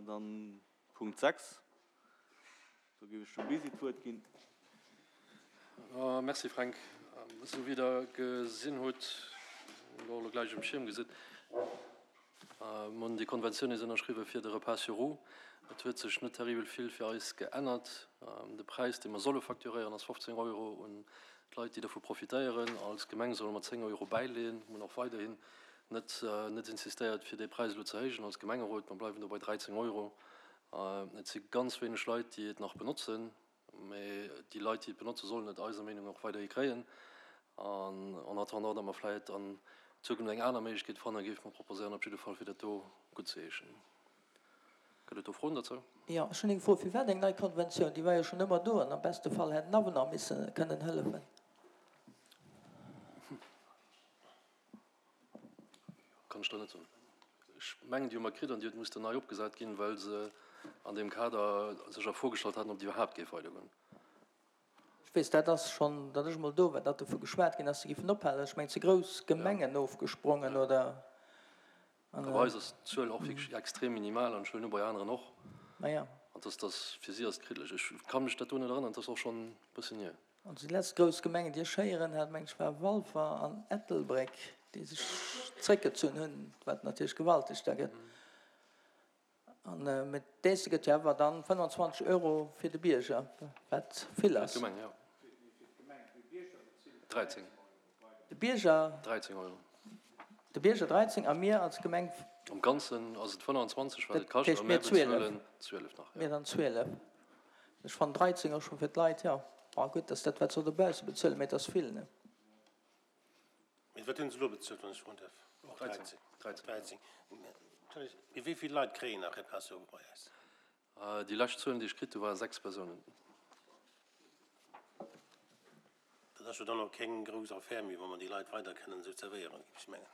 dann Punkt 6. Do géif ech dem Bisi d'Wuert ginn. Merci Fränk. Esou wéi Der gesinn hutt, oder och elo gläich um Schierm gesitt, Mir hunn déi Konventioun nees ënnerschriwwen fir de Repas sur roues. Et huet sech net terribel vill fir eis geännert. De Präis, dee mer solle facturéieren, ass 15 Euro un d'Leit, déi dovu profitéieren. Als Gemeng solle mer 10 Euro bäileeën. Mir hunn och weiderhin net net insistéiert, fir dee Präis elo ze héijen als Gemengerot. Mer bleiwen do bei 13 Euro. Et si ganz wéineg Leit, déi et nach benotzen. Mee déi Leit, déi et benotzen, sollen et eiser Meenung no och weiderhi kréien. An en attendant, datt mer vläicht an Zukunft eng aner Méiglechkeet fannen, géife mer proposéieren op jidde Fall, fir dat do guttzeheeschen. Gëtt et do Froen dozou? Jo, ech hunn eng Fro. Firwat eng nei Konventioun? Déi war jo schonn ëmmer do an am beste Fall hätt den Avenant misse kënnen hëllefen. Kann ech der net soen. Ech mengen, déi hu mer kritt an déi huet mussten nei opgesat ginn, well se an deem Kader sech a Fro gestallt haten, ob déi iwwerhaapt géif weidergoen. Ech weess, dat ass schonn, datt ech emol do war, datt dovu geschwat ginn ass, se géifen ophalen. Ech mengen, et si grouss Gemengen ofgesprongen, oder? A bei eis ass d'Zuel och wierklech extrem minimal an ech huelen u bei aneren och. Maja. An dass dass fir si ass et kriddeleg. Ech ka mech dat do net erënneren, et ass och schonn e bëssen hier. Also déi letzt grouss Gemengen, déi ech héieren hat, meng ech, war Walfer an Ettelbréck, déi sech zréckgezunn hunn, wat natierlech gewalteg da gëtt. An mee d'Aise gëtt jo awer dann 25 Euro fir de Bierger, wat vill ass. Fir d'Gemeng, jo. 13. De Bierger. 13 Euro. De Bierger 13 a mir als Gemeng. Am Ganzen ass et 25, wat et kascht, a mir bezuelen 12 nach, jo. Mir dann 12. Ech fannen 13 och scho fir d'Leit, jo. Bon, gutt, dass dat wat se dobausse bezuelen, mee et ass vill, ne? Mee wat hunn se elo bezuelt, wann ech froen däerf? Och 13? 13. Mee wéi vill Leit kréien nach Repas-sur-roues bei eis? Déi lescht Zuelen, déi ech kritt hu ware 6 Persounen. Dat ass jo dann och keng grouss Affär méi, wa mer déi Leit weider kënnen esou zerwéieren, géif ech mengen.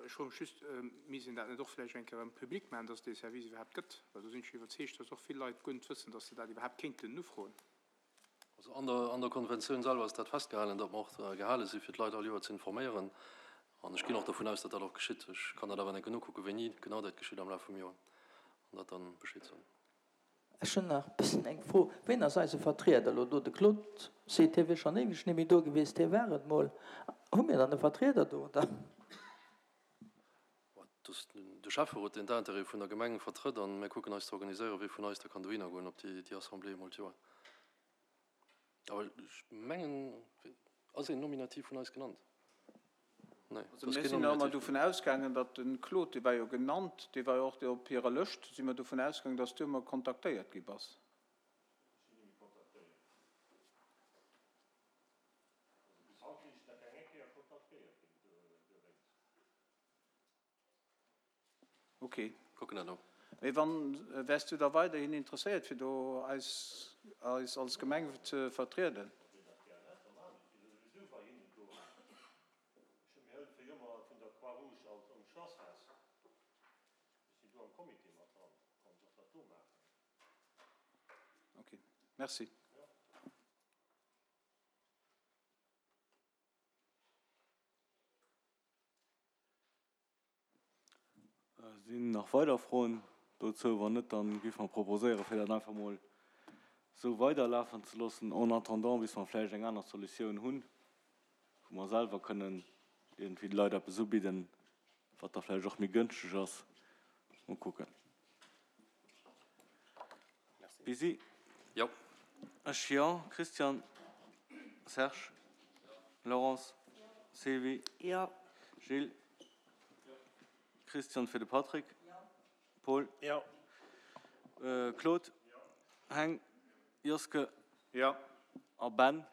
Ech froe mech just, Misst een dat net och vläicht eng Kéier erëm public maachen, dass et dee Service iwwerhaapt gëtt? Well do sinn ech iwwerzeegt, dass och vill Leit guer net wëssen, dass se dat iwwerhaapt kéinten ufroen. Also an der, an der Konventioun selwer ass dat festgehalen, datt mer och gehale si fir d'Leit all Joer ze informéieren. An ech ginn och dovun aus, datt dat och geschitt. Ech kann dat awer enke nokucken, wéini genau dat geschitt am Laf vum Joer, an dat dann Bescheed soen. Ech hunn nach e bëssen eng Fro, Ween ass eise Vertrieder elo do? De Claude seet, hie wier schonn éiweg net méi do gewiesst, hie war et mol. Hu mir dann e Vertrieder do, oder? Et ass de Schäfferot, deen d'Intérêtë vun der Gemeng vertrëtt, a mir kucken eis ze organiséieren, wee vun eis da kann dohinner goen op déi Assemblée emol d'Joer. Awer ech mengen, ass een nominativ vun eis genannt? Nee, et ass keen nominativ. Mir sinn ëmmer dovun ausgaangen, datt de Claude, dee war jo genannt, dee war jo och op hirer Lëscht, si mer dovun ausgaangen, datt s du ëmmer kontaktéiert gi bass. Ech sinn nëmme kontaktéiert. Also bis haut sinn ech nach keng eng Kéier kontaktéiert ginn dowéinst. Ok. Kucken dat no. Mee wann, wäers du da weiderhin interesséiert fir do eis eis als Gemeng ze vertrieden? Wann dir dat gär hätt, da maachen ech dat. Ech si souwisou bei hinnen do. Ech hu mir hëllefe jo ëmmer vun der Croix-Rouge alt um Schlassfest. Ech sinn do am Comité mat dran, kann ech och dat do maachen. Ok, merci. Jo. Sinn nach weider Froen dozou? Wann net, da géife mer proposéieren, fir dat einfach mol esou weiderlafen ze loossen, en attendant, bis mer vläicht eng aner Solutioun hunn, wou mer selwer kënnen iergendwéi de Leit eppes ubidden, wat da vläicht och méi gënschteg ass. Mol kucken. Bisi? Jo. Ech jo. Christian? Serge? Laurence? Sylvie? Jo. Gilles? Christian fir de Patrick? Paul? Jo. Claude? Heng? Joske? Jo. A Ben?